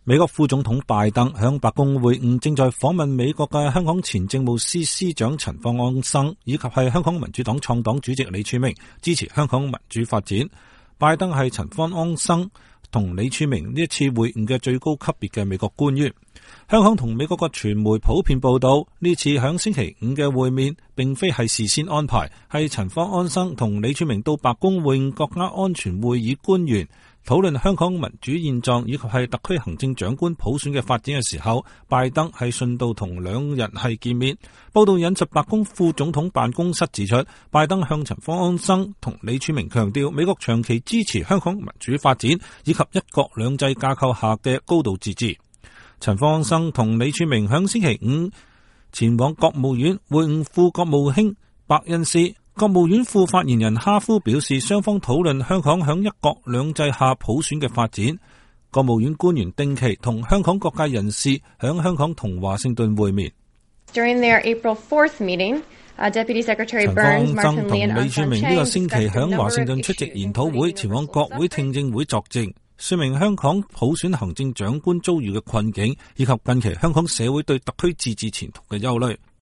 美國副總統拜登向白宮會晤正在訪問美國嘅香港前政務司司長陳方安生，以及係香港民主黨創黨主席李柱銘，支持香港民主發展。拜登係陳方安生同李柱銘呢一次會晤嘅最高級別嘅美國官員。香港同美國嘅傳媒普遍報道，呢次響星期五嘅會面並非係事先安排，係陳方安生同李柱銘到白宮會晤國家安全會議官員，討論香港民主現狀以及係特區行政長官普選嘅發展嘅時候，拜登係順道同兩人係見面。報道引述白宮副總統辦公室指出，拜登向陳方安生同李柱銘強調，美國長期支持香港民主發展以及一國兩制架構下嘅高度自治。陳方安生同李柱銘響星期五前往國務院會晤副國務卿伯恩斯。國務院副發言人哈夫表示，雙方討論香港響一國兩制下普選嘅發展。國務院官員定期同香港各界人士響香港同華盛頓會面。During their April 4th meeting, Deputy Secretary 陳方 Burns, 安生 Martin 同 Lee and 李柱 Armstrong 銘呢個星期響華盛頓出席研討會，前往國會聽證會作證，說明香港普選行政長官遭遇嘅困境，以及近期香港社會對特區自治前途嘅憂慮。